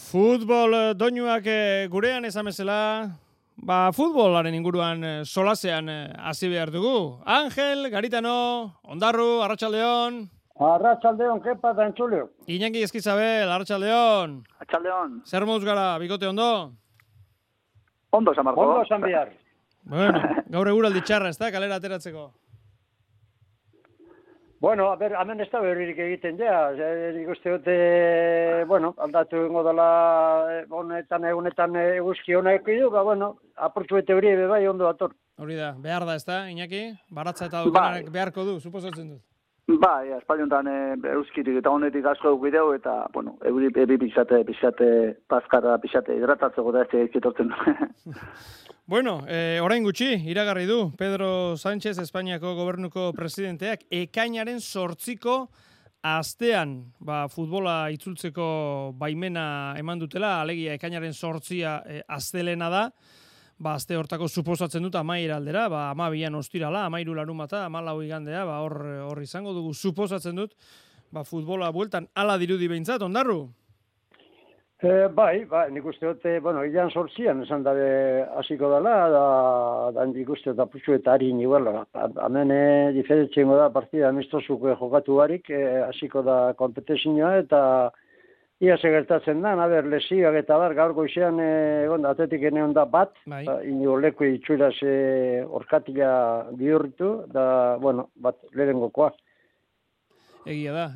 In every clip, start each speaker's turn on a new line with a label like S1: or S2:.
S1: Futbol doinuak gurean ezamezela, futbolaren inguruan solasean hasi behar dugu. Angel, Garitano, Ondarru, Arratsaldeon.
S2: Arratsaldeon, kepa da entzuleo.
S1: Iñaki Eskizabel, Arratsaldeon.
S3: Arratsaldeon.
S1: Zer moduz gara, bikote ondo?
S3: Ondo, San Marco.
S2: Ondo, San Bihar.
S1: Bueno, gaur eguraldi txarra, ez da, kalera ateratzeko.
S2: Bueno, hemen ez da berririk egiten ja. Nik uste dute, aldatu ingo dela egunetan eguzki honak du, apurtzu bete hori bai ondo dator.
S1: Hori da, behar da, ez da, Iñaki? Baratza eta dukanak beharko du, suposatzen dut.
S3: Bai, espaliontan euskitik eta honetik asko eukideu, eta, euri pixate, pazkara, pixate hidratatzeko da ez etortzen.
S1: Bueno, orain gutxi, iragarri du, Pedro Sánchez, Espainiako gobernuko presidenteak, ekainaren 8ko astean, futbola itzultzeko baimena eman dutela, alegia ekainaren 8 astelena da, aste hortako suposatzen dut amaiera aldera, 12an ostirala, 13 larunbata, 14 igandea, hor izango dugu suposatzen dut, futbola bueltan ala dirudi behintzat, Ondarru?
S2: Bai, nik uste dute, ilan 8an esan dabe hasiko dela, da nik uste da putxu eta harin iguala. Hemen diferentziengo da partida amistosuko jokatu barik, hasiko da kompetizioa eta ia segertatzen da, lesioak eta gaur goizean atletik eneon da bat, inigo leku itxuraz orkatila bihurritu, da, bat lehenengokoa.
S1: Egia da,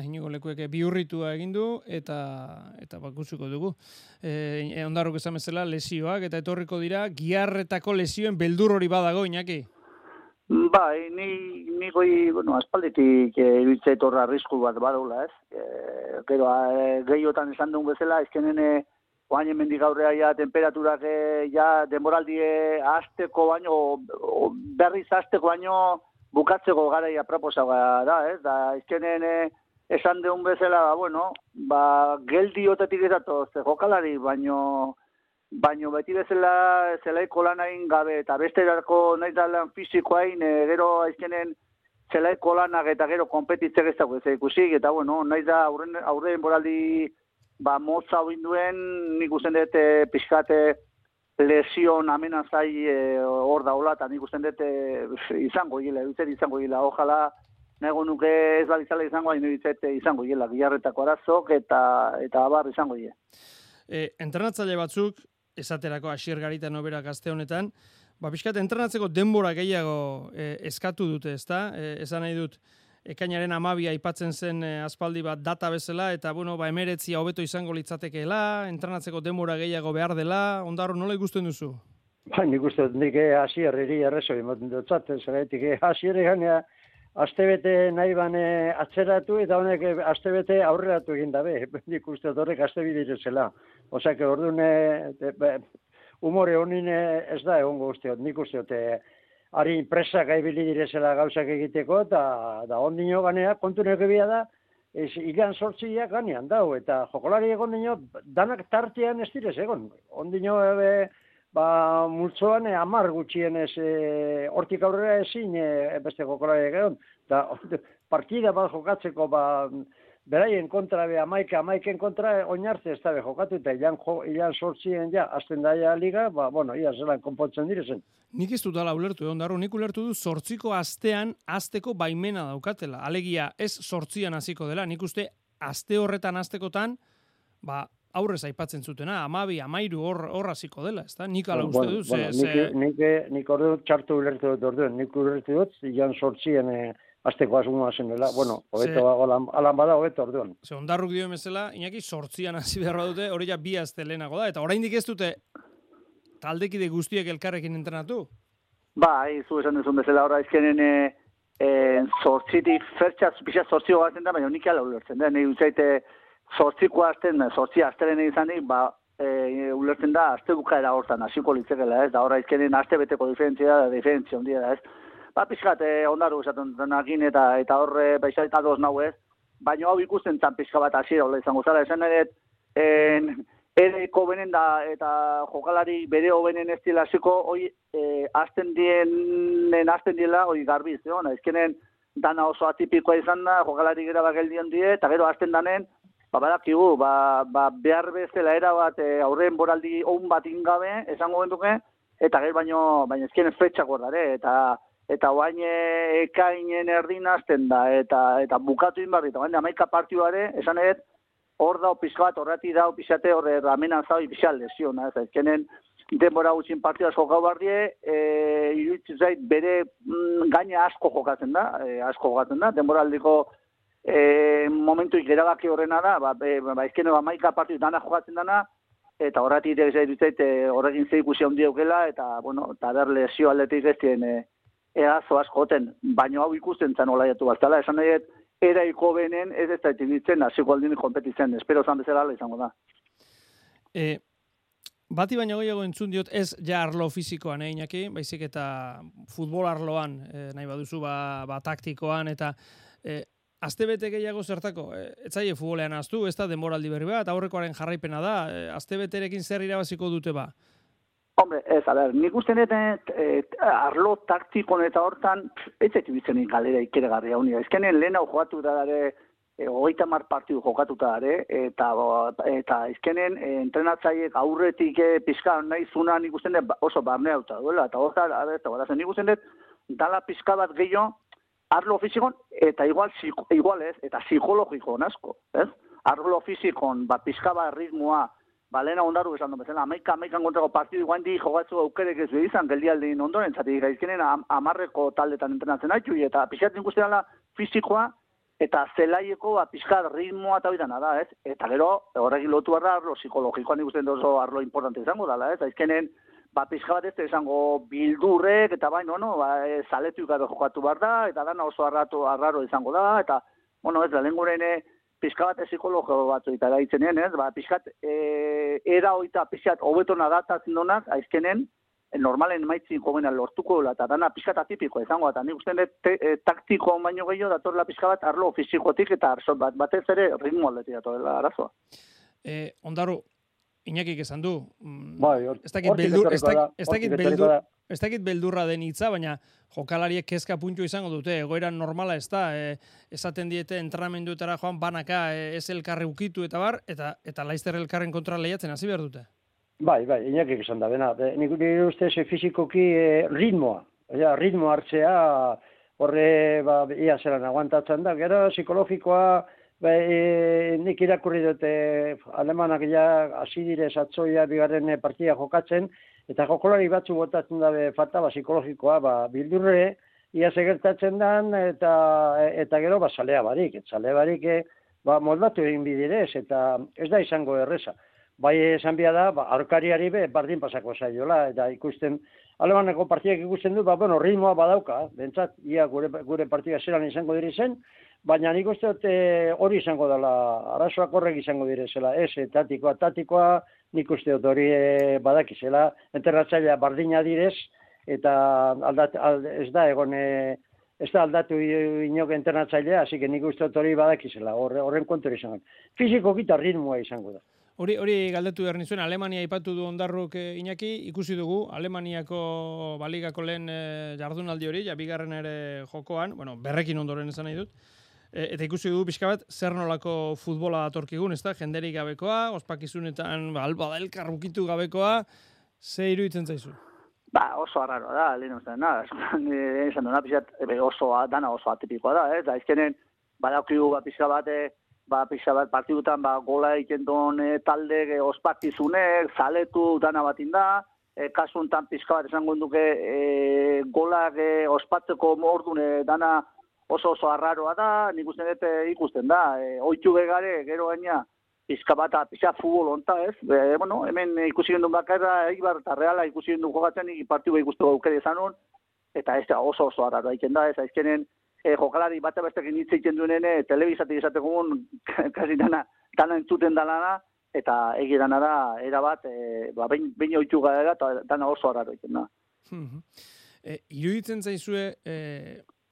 S1: Inigo Lekuek bihurritua egin du eta bakutsiko dugu. Ondarruk esan bezala lesioak eta etorriko dira, giharretako lesioen beldur hori badago, Iñaki?
S3: Bai, ni goi, aspalditik ibiltzea etorra arrisku bat badaula, ez? Gero, gehiotan esan duen bezala, ezkenen oain hemendik aurrea ja temperaturak denboraldie hasteko baino, berriz hasteko baino, bukatzeko garaia proposagoa da, ez? Da, izkenen esan deun bezala, geldi otetik ezatoz jokalari, baino beti bezala zelaiko lanain gabe, eta beste erako nahi da lan fizikoain, gero izkenen zelaiko lanak eta gero kompetitzek ez dago ez ikusik, eta nahi da aurre denboraldi motza hoinduen, nik usten dut pixkate, lesion amenazai hor daula, eta nik usten dut izango gila, izango gila. Ojala, nago nuke ez balizala izango, hain izango gila, giharretako arazok, eta abar izango gila.
S1: Entrenatzaile batzuk, esaterako Asier Garitano berak aste honetan, pixkat entrenatzeko denbora gehiago eskatu dute, ezta? Esan nahi dut, ekainaren 12 aipatzen zen aspaldi bat data bezala, eta 19 hobeto izango litzatekeela, entrenatzeko denbora gehiago behar dela, Ondarro, nola ikusten duzu?
S2: Nik uste dut, nik Asierreri errezo ematen dutzat, zeraitik Asierri ganea astebete nahi bane atzeratu, eta honek astebete aurreratu egin dabe, nik uste dut horrek astebidirezela. Osak, orduan, humore honin ez da egongo usteot, nik uste dut, hari presak aibili direzela gauzak egiteko, eta ondino ganea, kontunek ebia da, ilan 8 ganean dau, eta jokolari egon dino, danak tartean ez direz egon. Ondino multzoan 10 gutxienez hortik aurrera ezin beste jokolari egon. Partida bat jokatzeko, beraien kontra, amaiken kontra, oinarte ez dabe jokatu, eta ilan 8 azten daia liga, ia zelan konpontzen direzen.
S1: Nik ez dut ala ulertu, Ondarro, nik ulertu du 8ko astean azteko baimena daukatela. Alegia, ez 8an hasiko dela, nik uste aste horretan aztekotan, aurrez aipatzen zutena, 12, 13 hor hasiko dela, ezta? Nik ala uste dut.
S2: Nik ordu txartu ulertu dut orduen, nik ulertu dut, ilan 8an azteko asmoa zenela, hobeto alan bada hobeto orduan.
S1: Ondarruk dio emezela, Iñaki 8an hasi beharra dute, hori ja 2 aste lehenago da, eta oraindik ez dute taldekide guztiek elkarrekin entrenatu?
S3: Zu esan duzun bezala, horra izkenen 8tik pixat 8 gaten da, baina nik ala ulertzen da, nahi utzaite 8ko azten, 8 astelen izanik, ulertzen da, azte bukaera hortan, hasiko litzekela, ez, da horra izkenen aste beteko diferentzia ondia da, ez. Pixkat, Ondarru esaten denakin eta horre peixaita doz nahu ez, baina hau ikusten zan pixka bat hasiera hola izango zara, esan edet, ereko benen da eta jokalari bere hobenen ez dila hasiko, hoi azten diela, hoi garbiz, ezkenen dana oso atipikoa izan da, jokalari gero bageldion die, eta gero azten danen, badakigu, behar bezala erabat aurren boraldi on bat ingabe, esango genduke, eta gero baino ezkien fetxak gordare, eta oain ekainen erdin hasten da, eta bukatu inbarri, eta baina 11 partioare, esan edet, hor da pixka bat, horreti da pixate, horre ramenan zau pixal lesiona, ez ezkenen denbora gutxin partioa jokau bardie, iruditzen zait bere gaina asko jokatzen da, denbora aldiko momentuik erabaki horrena da, ezkene 11 partio dana jokatzen dana, eta horretik horrekin ze ikusi handi eukela, eta ber lesio aldetik ez dien erazo asko goten, baina hau ikusten zan olaiatu baztala, esan nahi eraiko benen ez da itibitzen, hasiko aldin kompetitzen, espero zan bezala izango da.
S1: Bati baina gehiago entzun diot, ez ja arlo fizikoan, Iñaki, baizik eta futbol arloan, nahi baduzu, taktikoan, eta astebete gehiago zertako, etzaile futbolean aztu, ez da denboraldi berri bat, aurrekoaren jarraipena da, astebeterekin zer irabaziko dute ba?
S3: Hombre, ez, nik uste arlo taktikon eta hortan, ez etibitzen galera ikeregarria unia. Ezkenen lehen hau jokatu da dare, 30 partidu jokatuta dare, eta ezkenen entrenatzaiek aurretik pixka nahi zuna nik uste oso barnea duta duela, eta hortan, nik uste dala pixka bat gehiago, arlo fizikon, eta igual ez, eta psikologiko asko, ez? Arlo fizikon, pixka bat ritmoa, lehena ondaru esan duen bezala, 11 kontrako partidu iguan di jogatzu aukerek ez behizan, geldialdin ondoren, zatik gaizkenen 10 taldetan entrenatzen haitu, eta pixatzen ikusten dela fizikoa, eta zelaieko pixkat ritmoa eta bidana da, ez? Eta gero, horrekin lotu arlo psikologikoan ikusten oso arlo importante izango dela, ez? Gaizkenen, pixka bat ez izango bildurrek, eta zaletu gabe jokatu behar da, eta dana oso arraro izango da, eta, ez da, lenguren pixka bat psikologo batzu eta daitzenean, ez? Pixkat, era hoita pixkat hobetona datatzen donak, aizkenen, normalen maitzin jogena lortuko dela, eta dana pixkat atipiko izango, eta nik usten taktiko baino gehiago datorla pixka bat arlo fizikotik, eta batez ere ritmo aldetik datorela arazoa.
S1: Ondaru, Iñakik esan du, ez dakit beldurra den hitza, baina jokalariek kezka puntu izango dute, egoera normala ez da, esaten diete entrenamenduetara joan banaka ez elkarre ukitu eta bar, eta laizter elkarren kontra lehiatzen hasi behar dute.
S2: Bai, Iñakik esan da, bena, nik uste fizikoki ritmo hartzea, horre ia zelan aguantatzen da, gero psikologikoa, nik irakurri dute alemanak ja hasi direz atzoia bigarren partida jokatzen, eta jokolari batzu botatzen dabe falta psikologikoa, bildurre, ia segertatzen dan, eta gero zalea barik, moldatu egin bidirez, eta ez da izango erreza. Bai esan bia da, aurkariari bardin pasako zaiola, eta ikusten, alemaneko partidak ikusten du, ritmoa badauka, bentsat, ia gure partida zelan izango dire zen, baina nik uste hori izango dela, arazoak horrek izango direzela, ez, tatikoa nik uste hori badakizela, enterratzailea bardina direz, eta ez da aldatu inok entrenatzailea, hasi que nik uste hori badakizela, horren kontu izango. Fiziko gita ritmoa izango da.
S1: Hori galdetu behar nizuen, Alemania aipatu du Ondarruk Iñaki, ikusi dugu, Alemaniako baligako lehen jardunaldi hori, bigarren ere jokoan, berrekin ondoren esan nahi dut, eta ikusi dugu pixka bat, zer nolako futbola datorkigun, ez da, jenderik gabekoa, ospakizunetan, alba da elkarrukitu gabekoa, ze iruditzen zaizu?
S3: Oso arraroa da, lehen ustean, esan duna, dana oso atipikoa da, ez? Aizkenen, badaukigu pixka bat partidutan gola egiten duen talde ospakizunek, zaletu dana batin da, kasuntan pixka bat esango duke golak ospatzeko ordune dana oso arraroa da, nik ikusten da, oitu begare, gero gaina, pixka bat, pixka futbol onta, ez? Hemen ikusi gendun bakarra, Eibar eta Reala ikusi gendun jokatzen, partidu ikusteko aukere izanun, eta ez oso arraroa egiten da, ez aizkenen, jokalari bat bestekin hitz egiten duenen telebizatik esategun kasi dana entzuten dalana eta egidana da erabat behin oitu gara eta dana oso arraro egiten da.
S1: Iruditzen zaizue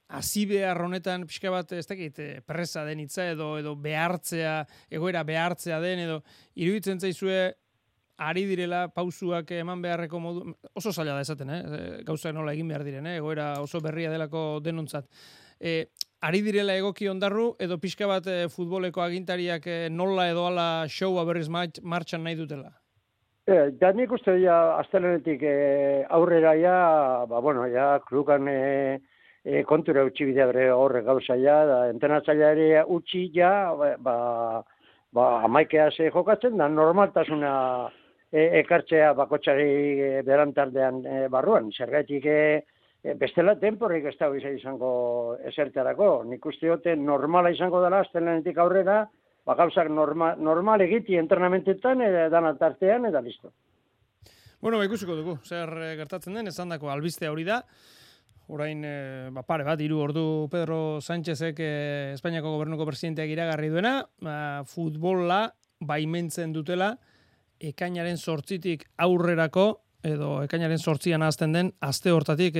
S1: hasi behar honetan pixka bat ez dakit presa den hitza edo behartzea, egoera behartzea den edo iruditzen zaizue ari direla pausuak eman beharreko modu, oso zaila da esaten, gauzak nola egin behar diren, egoera oso berria delako denontzat. ari direla egoki ondarru, edo pixka bat futboleko agintariak nola edo ala showa berriz martxan nahi dutela?
S2: Ja nik uste astelenetik aurrera klukan kontura utzi bidea bere horrek gauza da entrenatzaileari utzi amaikea ze jokatzen da normaltasuna ekartzea bakotsari berantardean barruan. Zergatik bestela temporrik ez dago izango esertarako. Nik uste dute normala izango dela astelenetik aurrera, gauzak normal egiti entrenamentetan dana tartean eta listo.
S1: Bueno, ikusiko dugu, zer gertatzen den, esandako albiste hori da. Orain, pare bat, 3 ordu Pedro Sánchezek Espainiako gobernuko presidenteak iragarri duena, futbola baimentzen dutela, ekainaren 8tik aurrerako, edo ekainaren 8an hasten den aste hortatik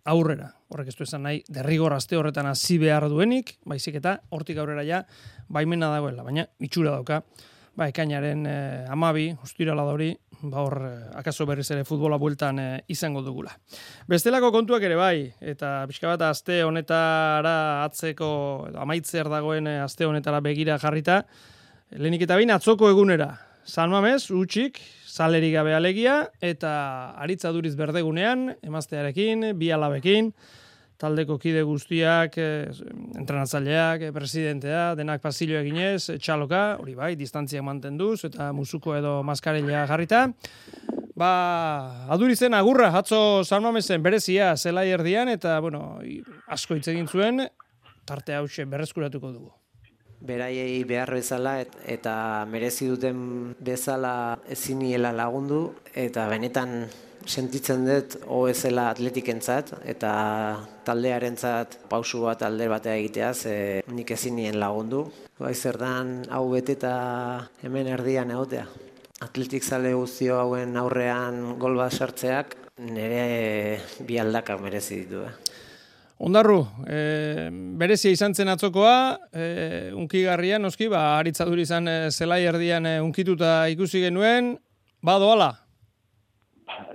S1: aurrera. Horrek ez du esan nahi, derrigor aste horretan hasi behar duenik, baizik eta hortik aurrera ja baimena dagoela, baina itxura dauka. Ekainaren 12, ostirala da hori, hor akaso berriz ere futbola bueltan izango dugula. Bestelako kontuak ere bai, eta pixka bat aste honetara atzeko, amaitzer dagoen aste honetara begira jarrita, lehenik eta behin atzoko egunera. San Mamés, utxik, salerik gabe alegia, eta Aritz Aduriz berdegunean, emaztearekin, 2 alabekin, taldeko kide guztiak, entrenatzaileak, presidentea, denak pasillo eginez, txaloka, hori bai, distantziak mantenduz, eta musuko edo maskarilla jarrita. Adurizen agurra, atzo San Mamesen berezia zelai erdian, eta, asko hitz egin zuen, tarte hause berreskuratuko dugu.
S4: Beraiei behar bezala eta merezi duten bezala eziniela lagundu, eta benetan sentitzen dut ezela atletikentzat eta taldearentzat pausu bat alde batea egiteaz nik ezinien lagundu. Zertan hau beteta hemen erdian egotea. Atletik zale guztio hauen aurrean gol bat sartzeak nire 2 aldakak merezi ditu.
S1: Ondarru, berezia izan zen atzokoa, unkigarria, noski, Aritz Aduriz izan zelai erdian unkituta ikusi genuen, doala?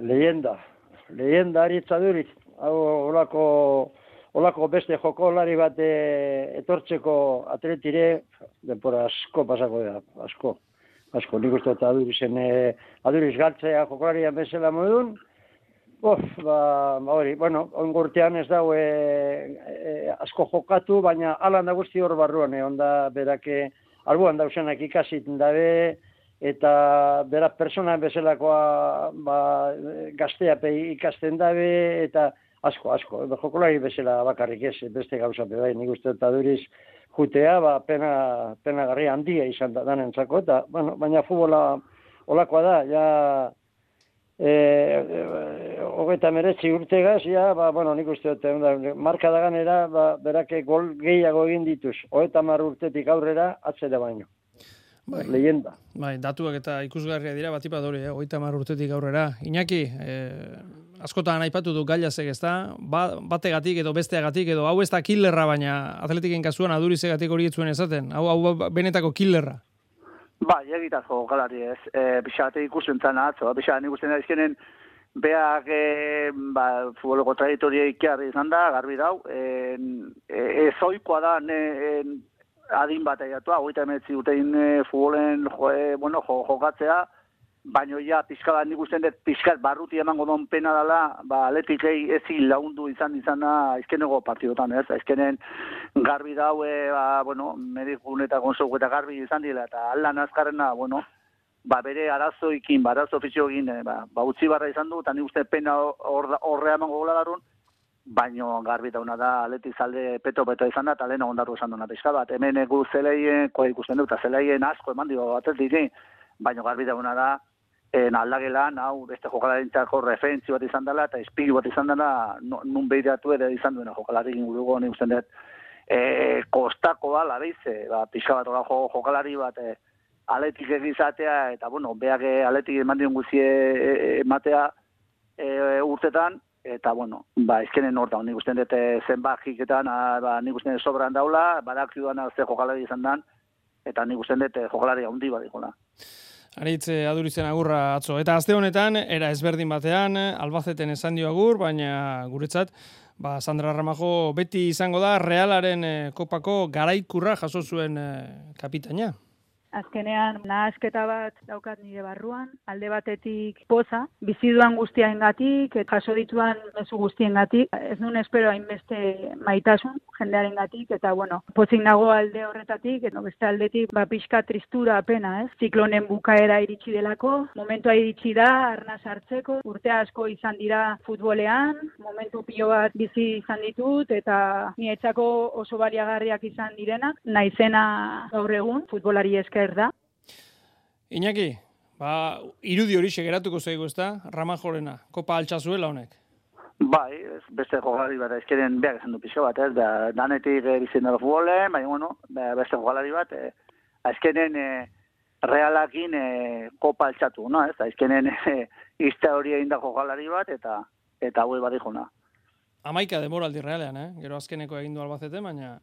S2: Leyenda Aritz Aduriz. Hau olako beste jokolari bat etortzeko atletire, denpora asko pasako da, asko. Nik uste eta Aduriz galtzea jokolarian bezala modun, ongurtean ez dago asko jokatu, baina alan da guzti hor barruan, onda berake albuan dausenak ikasit dabe, eta berak persona bezalakoa gazteape ikasten dabe, eta asko, jokolari bezala bakarrik ez, beste gauza bai, nik uste eta Aduriz jutea, pena garri handia izan da danentzako, eta, baina futbola olakoa da, ja, 39 urtegaz, nik uste dut, marka da ganera, berake gol gehiago egin dituz, 30 urtetik aurrera, atzera baino. Leyenda.
S1: Datuak eta ikusgarria dira, batipat hori, 30 urtetik aurrera. Iñaki, askotan aipatu du Gailazek, ezta? Bategatik edo besteagatik, edo hau ez da killerra, baina atletiken kasuan Adurizegatik hori etzuen esaten. Hau benetako killerra.
S3: Egitazko jokalari ez. Pixate ikusten zan atzo. Pixate ikusten da izkenen beak futboleko trajektoria ikiarri izan da, garbi dau. Ezoikoa da adin bat egiatua, 39 urtein futbolen jokatzea, baina ja pixka nik usten dut pixkat barruti emango don pena dela, atletikei ezin lagundu izana izkenego partidotan, ez? Izkenen garbi dau, medigun eta konsegu eta garbi izan dira, eta aldan azkarrena, bere arazoikin, arazo fizioekin, utzi barra izan du, eta nik uste pena horrea emango gola darun, baina garbi dauna da atletik zalde peto-peto izan da, eta lehen ondarru esan duna pixka bat. Hemen egu zeleien, ikusten dut, eta zeleien asko eman dio atletik, baina garbi dauna da, aldagelan, hau beste jokalarintzako referentzio bat izan dela, eta espilu bat izan dela, nun behiratu ere izan duena jokalarik inguruko, nik usten dut, kostako da, labeize, pixka bat jokalari bat, atletik egizatea, eta, beak atletik eman dion guzie ematea urtetan, eta, ezkenen hortan, nik usten dut zenbakiketan, nik usten dut sobran daula, badak duan ze jokalari izan dan, eta nik usten dut jokalari handi bat dikola.
S1: Aritz Adurizen agurra atzo. Eta aste honetan, era ezberdin batean, Albaceten esan dio agur, baina guretzat, Sandra Ramajo beti izango da Realaren kopako garaikurra jaso zuen kapitaina.
S5: Azkenean, nahasketa bat daukat nire barruan, alde batetik poza, biziduan guztiarengatik, jaso dituan mezu guztiengatik, ez nuen espero hainbeste maitasun jendearengatik, eta pozik nago alde horretatik, beste aldetik, pixka tristura apena, ez? Ziklonen bukaera iritsi delako, momentua iritsi da, arnaz hartzeko, urte asko izan dira futbolean, momentu pilo bat bizi izan ditut, eta nietzako oso baliagarriak izan direnak, naizena gaur egun, futbolari esker da.
S1: Iñaki, irudi hori geratuko zaigu, ezta? Ramajorena, kopa altxazuela honek.
S3: Bai, beste jokalari bat, ezkeren behar esan du pixo bat, ez? Danetik bizien dara futbolen, beste jokalari bat, ezkeren Realakin kopa altxatu, no? Ez? Ezkeren izte hori egin da jokalari bat, eta hau bat ikona.
S1: 11 denboraldi Realean, Gero azkeneko egin du Albacete, baina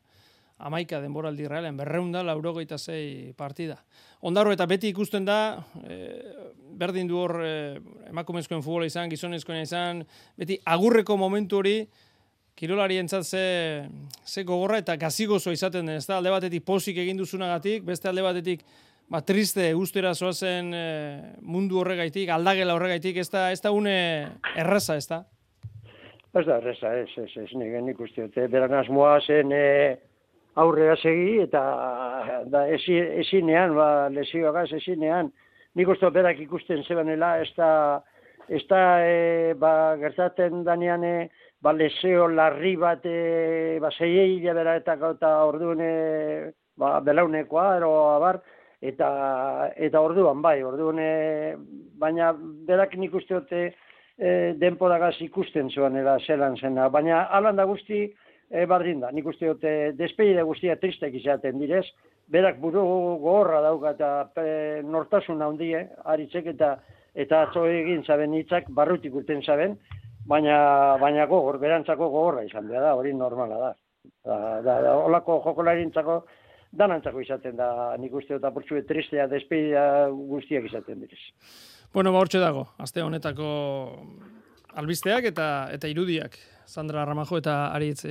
S1: 11 denboraldi Realean, 286 partida. Ondaro eta beti ikusten da, berdin du hor emakumezkoen futbola izan, gizonezkoen izan, beti agurreko momentu hori, kirolarientzat ze gogorra eta gazigozo izaten den, ezta? Alde batetik pozik egin duzunagatik, beste alde batetik triste ustera zoazen mundu horregaitik, aldagela horregaitik, ez da une erraza, ez da?
S2: Ez da erraza, ez, nik uste dute, beran asmoa zen aurrera segi, eta ezinean, lesioagaz ezinean, nik uste berak ikusten zebanela, ez da gertatzen danean, lesio larri bat, zeiei bera eta orduan belaunekoa, ero abar, eta orduan, baina berak nik uste dute denporagaz ikusten zebanela zelan zena, baina alan da guzti, bardin da, nik uste dute despedida guztia tristek izaten direz, berak buru gogorra dauka eta nortasun handie, aritzek eta atzo egin zaben hitzak barrutik urten zaben, baina berantzako gogorra izan da, hori normala da. Olako jokolarintzako danantzako izaten da, nik uste dut apurtxue tristea despedida guztiak izaten direz.
S1: Hortxe dago, aste honetako albisteak eta irudiak. Sandra Ramajo eta Aritz